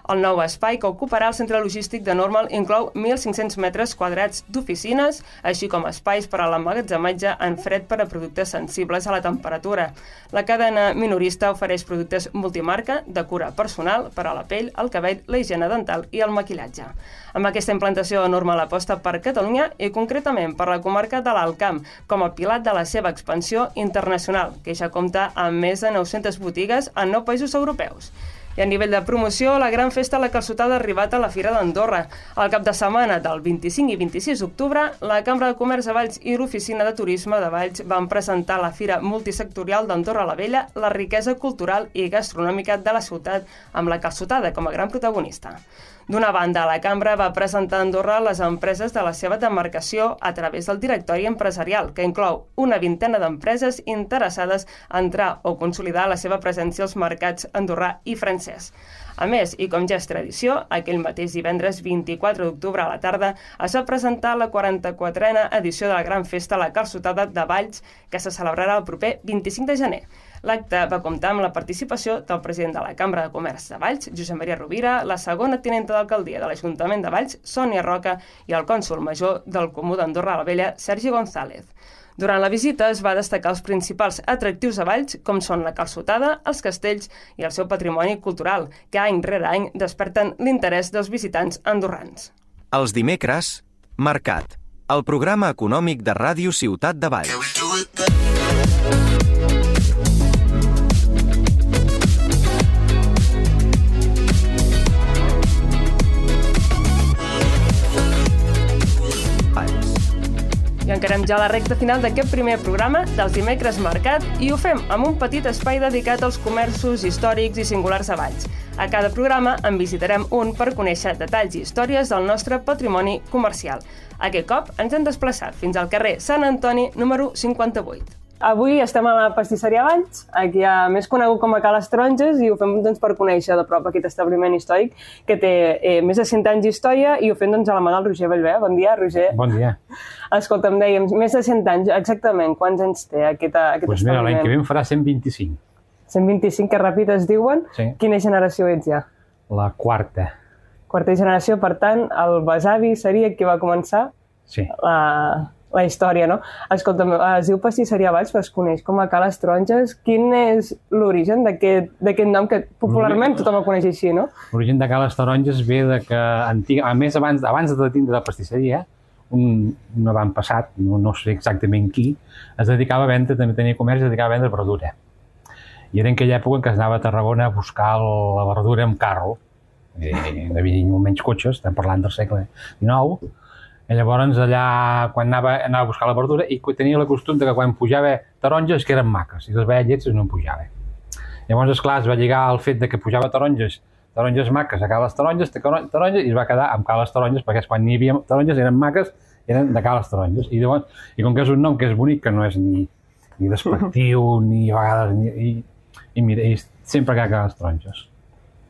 El nou espai que ocuparà el centre logístic de Normal inclou mil cinc-cents metres quadrats d'oficines, així com espais per a l'emmagatzematge en fred per a productes sensibles a la temperatura. La cadena minorista ofereix productes multimarca de cura personal per a la pell, el cabell, la higiene dental i el maquillatge. Amb aquesta implantació, Normal aposta per Catalunya i concretament per la comarca de l'Alt Camp, com a pilar de la seva expansió internacional, que ja compta amb més de nou-centes botigues en nou països europeus. I a nivell de promoció, la gran festa La Calçotada ha arribat a la Fira d'Andorra. Al cap de setmana del vint-i-cinc i vint-i-sis d'octubre, la Cambra de Comerç de Valls i l'Oficina de Turisme de Valls van presentar a la Fira Multisectorial d'Andorra la Vella la riquesa cultural i gastronòmica de la ciutat, amb la calçotada com a gran protagonista. D'una banda, la Cambra va presentar a Andorra les empreses de la seva demarcació a través del directori empresarial, que inclou una vintena d'empreses interessades a entrar o consolidar la seva presència als mercats andorrà i francès. A més, i com ja és tradició, aquell mateix divendres vint-i-quatre d'octubre a la tarda es va presentar la quaranta-quatrena edició de la Gran Festa La Calçotada de Valls, que se celebrarà el proper vint-i-cinc de gener. L'acte va comptar amb la participació del president de la Cambra de Comerç de Valls, Josep Maria Rovira, la segona tinenta d'alcaldia de l'Ajuntament de Valls, Sònia Roca, i el cònsol major del Comú d'Andorra la Vella, Sergi González. Durant la visita es va destacar els principals atractius a Valls, com són la calçotada, els castells i el seu patrimoni cultural, que any rere any desperten l'interès dels visitants andorrans. Els dimecres, Mercat, el programa econòmic de Ràdio Ciutat de Valls. I encarem ja la recta final d'aquest primer programa dels dimecres Mercat i ho fem amb un petit espai dedicat als comerços històrics i singulars a Valls. A cada programa en visitarem un per conèixer detalls i històries del nostre patrimoni comercial. Aquest cop ens hem desplaçat fins al carrer Sant Antoni, número cinquanta-vuit. Avui estem a la pastisseria Valls, aquí a més conegut com a Ca les Taronges, i ho fem doncs, per conèixer de prop aquest establiment històric que té eh, més de cent anys d'història, i ho fem doncs, a la mà del Roger Bellver. Bon dia, Roger. Bon dia. Escolta, em dèiem, més de cent anys, exactament, quants anys té aquest, aquest pues establiment? Mira, l'any que ve en farà cent vint-i-cinc. cent vint-i-cinc, que ràpid es diuen. Sí. Quina generació ets ja? La quarta. Quarta generació, per tant, el besavi seria qui va començar sí. la... la història, no? Escolta, es diu Pastisseria Valls, però es coneix com a Ca les Taronges. Quin és l'origen d'aquest nom que popularment tothom el coneix així, no? L'origen de Ca les Taronges ve de que, antig... a més, abans, abans de tindre la pastisseria, un, un avantpassat, no, no sé exactament qui, es dedicava a vendre, també tenia comerç, es dedicava a vendre verdura. I era en aquella època en què es anava a Tarragona a buscar la verdura amb carro. I hi havia molt menys cotxes, estem parlant del segle dinou. I llavors allà, quan anava, anava a buscar la verdura, i tenia la costum de que quan pujava taronges que eren maques, i les veia llets no en pujava. Llavors, esclar, es va lligar al fet de que pujava taronges, taronges maques a Ca les Taronges, taronges, i es va quedar amb Ca les Taronges, perquè quan n'hi havia taronges eren maques, eren de Ca les Taronges. I, llavors, i com que és un nom que és bonic, que no és ni, ni despectiu, ni a vegades... Ni, i, i mira, i sempre que Ca les Taronges.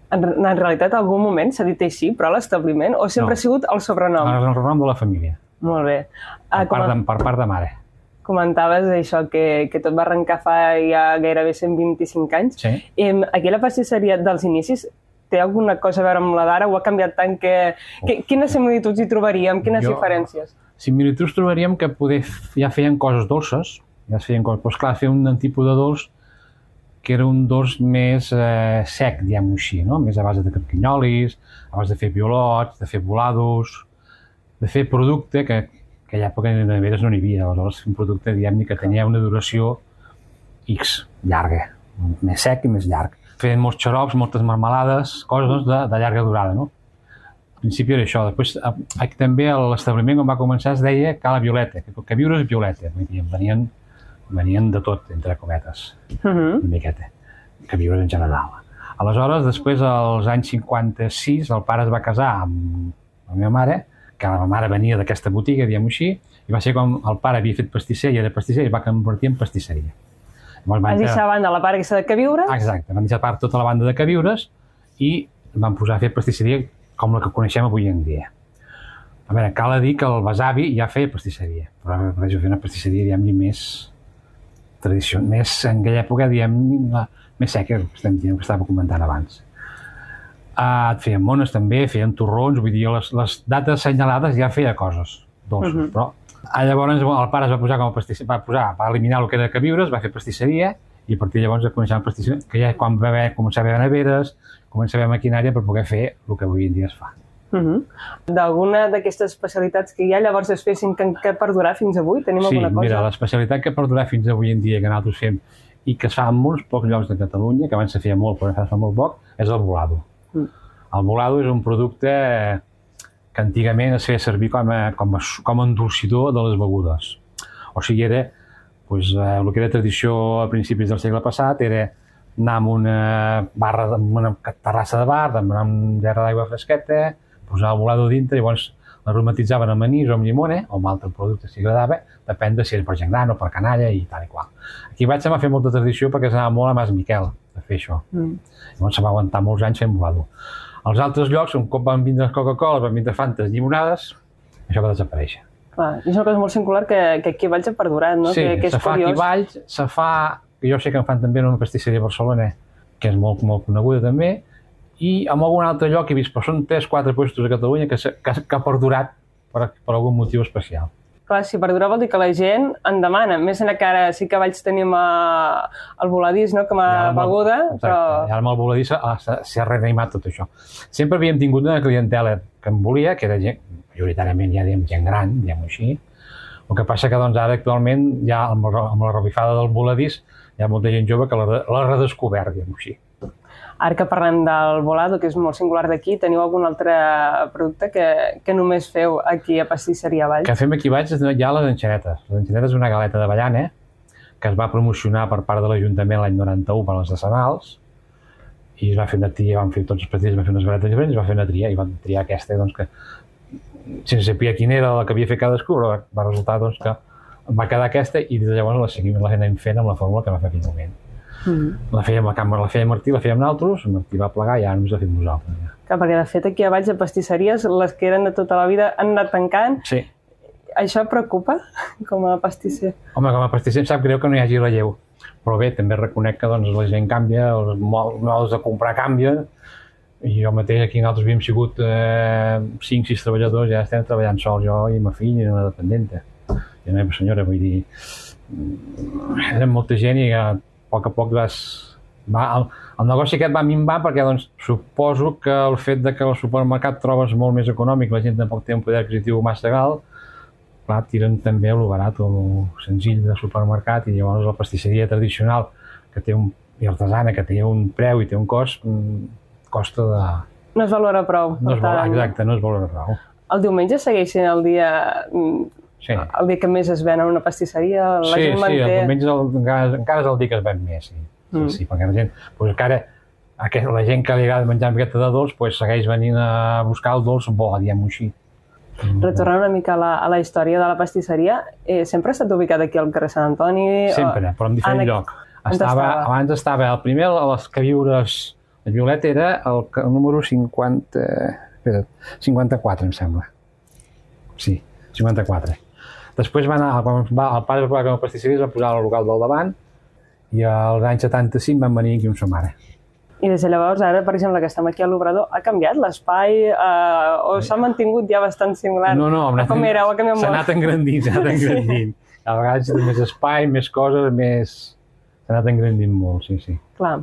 En, en realitat, en algun moment s'ha dit així, però l'establiment, o sempre no. ha sigut el sobrenom? El sobrenom de la família. Molt bé. Per, part de, per part de mare. Comentaves això, que, que tot va arrencar fa ja gairebé cent vint-i-cinc anys. Sí. I aquí la pastisseria dels inicis té alguna cosa a veure amb la d'ara o ha canviat tant que... Oh. que quines similituds hi trobaríem? Quines jo, diferències? Similituds trobaríem que poder, ja feien coses dolces, ja es feien coses, però esclar, feien un tipus de dolç que era un dolç més eh, sec, diguem-ho així, no? Més a base de carquinyolis, a base de fer piolots, de fer volados, de fer producte que, que a l'època de neveres no n'hi havia, aleshores un producte, diguem-ne, que tenia una duració X, llarga, més sec i més llarg. Feien molts xarops, moltes marmelades, coses doncs, de, de llarga durada, no? Al principi era això. Després, aquí també l'establiment on va començar es deia Ca la Violeta, que, que viure és Violeta, venien venien de tot, entre cometes, uh-huh. una miqueta, que viure en general. Aleshores, després, als anys cinquanta-sis, el pare es va casar amb la meva mare, que la meva mare venia d'aquesta botiga, diguem-ho així, i va ser com el pare havia fet pastisser i era pastisser i es va convertir en pastisseria. Vas deixar a banda la part aquesta de Queviures? Exacte, van deixar a part tota la banda de Queviures i van posar a fer pastisseria com la que coneixem avui en dia. A veure, cal dir que el besavi ja feia pastisseria, però ara prefereixo fer una pastisseria, diguem-ne, més tradició, més en aquella època, diguem, més seca, que estava comentant abans. Uh, feien mones també, feien torrons, vull dir, les, les dates assenyalades ja feia coses dolces, uh-huh. però uh, llavors el pare es va posar com a pastisser, va posar, va eliminar el que era de Queviures, va fer pastisseria, i a partir de llavors ja coneixem pastisseria, que ja quan va haver, començar a haver neveres, comença a haver maquinària per poder fer el que avui en dia es fa. Uh-huh. D'alguna d'aquestes especialitats que ja llavors es fessin que, que perdurar fins avui? Tenim sí, alguna cosa? Sí, mira, l'especialitat que perdurà fins avui en dia que nosaltres fem i que es fa en molts pocs llocs de Catalunya, que abans se feia molt però es fa molt poc, és el bolado. Mm. El bolado és un producte que antigament es feia servir com a, com a, com a endolcidor de les begudes. O sigui, era, doncs, eh, el que era tradició a principis del segle passat era anar amb una barra, amb una terrassa de bar, demanar un gerra d'aigua fresqueta, posar el bolado dintre, i llavors l'aromatitzaven amb anís o amb llimona, o amb altre producte si agradava, depèn de si és per gent gran o per canalla i tal i qual. Aquí vaig a fer molta tradició perquè s'anava molt a Mas Miquel a fer això. Mm. Llavors se va aguantar molts anys fent bolado. Als altres llocs, un cop van vindre Coca-Cola, van vindre Fantes, llimonades, això va desaparèixer. Clar, és una cosa molt singular que, que aquí a Valls ha perdurat, no? Sí, que, que és se fa curiós. aquí a Valls, se fa, jo sé que en fan també en una pastisseria a Barcelona, que és molt, molt coneguda també, i en algun altre lloc he vist, però són tres o quatre puestos a Catalunya que, que, que ha perdurat per, per algun motiu especial. Clar, si perdurar vol dir que la gent en demana, més enllà que ara sí que a Valls tenim a, el voladís, no?, com a beguda, exacte, però... I ara amb el voladís s'ha reanimat tot això. Sempre havíem tingut una clientela que em volia, que era gent, majoritàriament ja diem gent gran, diguem-ho així. El que passa que doncs, ara actualment, ja amb, amb la revifada del voladís, hi ha molta gent jove que l'ha redescobert, diguem-ho així. Ara que parlem del bolado, que és molt singular d'aquí, teniu algun altre producte que, que només feu aquí a Pastisseria Valls? Que fem aquí a Valls hi ha les enxanetes. Les enxanetes és una galeta d'avellana que es va promocionar per part de l'Ajuntament l'any noranta-u per les decennals i es va fer una tria, van fer tots els petits, van fer unes galetes diferents, es va fer una tria i van triar aquesta doncs, que sense saber quina era la que havia fet cadascú, però va resultar doncs, que va quedar aquesta i des de llavors la seguim, la anem fent amb la fórmula que va fer aquell moment. Mm. La feia amb la càmera, la feia Martí, la feia amb nosaltres, Martí va plegar i ara només la fem nosaltres. Ja. Clar, perquè de fet aquí a Valls de pastisseries, les que eren de tota la vida han anat tancant. Sí. Això et preocupa com a pastisser? Home, com a pastisser em sap greu que no hi hagi relleu. Però bé, també reconec que doncs, la gent canvia, els modes de comprar canvien, i jo mateix aquí nosaltres havíem sigut eh, cinc sis treballadors, ja estem treballant sols, jo i ma filla i una dependenta. I la meva senyora, vull dir, eren molta gent i a poc a poc vas, va, el, el negoci aquest va minvar perquè doncs, suposo que el fet de que al supermercat trobes molt més econòmic, la gent tampoc té un poder adquisitiu massa alt, clar, tiren també a lo barat o lo senzill del supermercat i llavors la pastisseria tradicional que té un, i artesana que té un preu i té un cost, costa de... No es valora prou. No es valora, exacte, no es valora prou. El diumenge segueix sent el dia... Sí. El dia que més es ven en una pastisseria, la sí, gent manté... Sí, el diumenge el, encara, encara és el dia que es ven més, sí. Mm. Sí, sí, perquè la gent, doncs encara, aquest, la gent que li agrada menjar amb aquesta de dolç, doncs segueix venint a buscar el dolç bo, diguem-ho així. Retornant una mica a la, a la història de la pastisseria, eh, sempre ha estat ubicat aquí al carrer Sant Antoni? Sempre, o... però en diferent en... lloc. Estava, estava? Abans estava, el primer, a les queviures, el Violet era el, el número cinquanta... Espera, cinquanta-quatre, em sembla. Sí, cinquanta-quatre. Després va anar, quan va, el pare va com a pastisseria es va posar al local del davant i als anys setanta-cinc van venir aquí amb sa mare. I des de llavors, ara, per exemple, que estem aquí a l'Obrador, ha canviat l'espai eh, o s'ha mantingut ja bastant similar? No, no, anat, com era, ha canviat molt. S'ha anat engrandint, s'ha anat engrandint. A vegades té més espai, més coses, més... S'ha anat engrandint molt, sí, sí. Clar.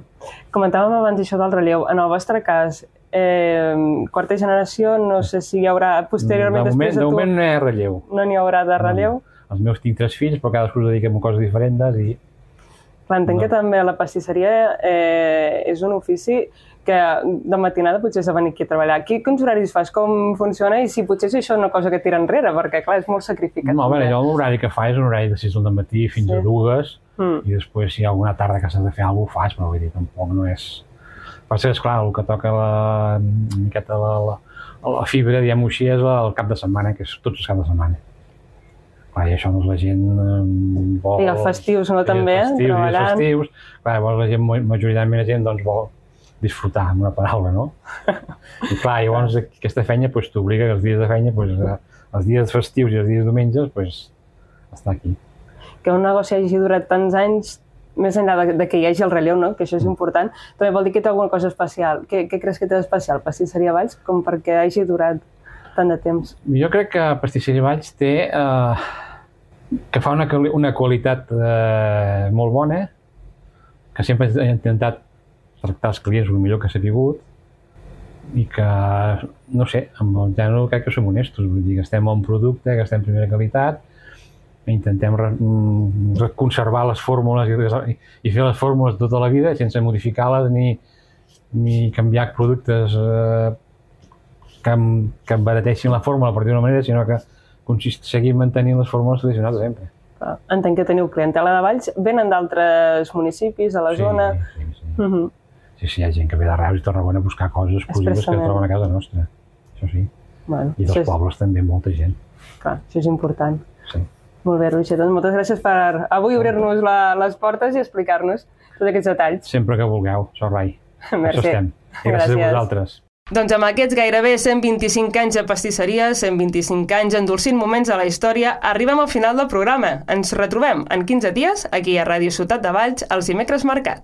Comentàvem abans això del relleu. En el vostre cas, eh, quarta generació, no sé si hi haurà posteriorment de moment, després de tu... De moment no hi ha relleu. No n'hi haurà de relleu? No. Els meus tinc tres fills, però cadascú es dediquem a coses diferents i... Clar, entenc no. que també la pastisseria eh, és un ofici que de matinada potser has de venir aquí a treballar. Aquí quins horaris fas? Com funciona? I si potser és això una cosa que tira enrere, perquè clar, és molt sacrificat. No, a veure, jo l'horari que fa és un horari de sis del matí fins sí. a dues, mm. i després si hi ha alguna tarda que s'ha de fer alguna cosa ho fas, però vull dir, tampoc no és... Passa que, esclar, el que toca la, una miqueta la, la, la fibra, diguem-ho així, és el cap de setmana, que és tots els caps de setmana. Clar, i això doncs, la gent vol... I els festius, no, també, festius, treballant. I els festius, clar, llavors la gent, majoritàriament la gent, doncs, vol disfrutar, amb una paraula, no? I clar, llavors aquesta feina doncs, t'obliga que els dies de feina, doncs, els dies festius i els dies diumenges, doncs, estar aquí. Que un negoci hagi durat tants anys, més enllà de, de que hi hagi el relleu, no? Que això és important, també vol dir que té alguna cosa especial. Què, què creus que té d'especial Pastisseria Valls com perquè hagi durat tant de temps? Jo crec que Pastisseria Valls té... Eh, que fa una, una qualitat eh, molt bona, que sempre he intentat tractar els clients el millor que s'ha pogut i que, no sé, amb el gènere crec que som honestos, vull dir que estem a un producte, que estem en primera qualitat intentem conservar les fórmules i fer les fórmules tota la vida sense modificar-les ni, ni canviar productes eh, que, que embarateixin la fórmula per dir-ho d'una manera, sinó que consist, seguir mantenint les fórmules tradicionals de sempre. Entenc que teniu clientela de Valls, venen d'altres municipis a la sí, zona. Sí, sí. Uh -huh. sí, sí, hi ha gent que ve de Reus i Tarragona a buscar coses exclusives que troben a casa nostra. Això sí. Bueno, I dels és... pobles també, molta gent. Clar, això és important. Sí. Molt bé, Roger, doncs moltes gràcies per avui obrir-nos les portes i explicar-nos tots aquests detalls. Sempre que vulgueu, Sorrai. Merci. Això estem. I gràcies, gràcies a vosaltres. Doncs amb aquests gairebé cent vint-i-cinc anys de pastisseria, cent vint-i-cinc anys endolcint moments de la història, arribem al final del programa. Ens retrobem en quinze dies, aquí a Ràdio Ciutat de Valls, els dimecres Mercat.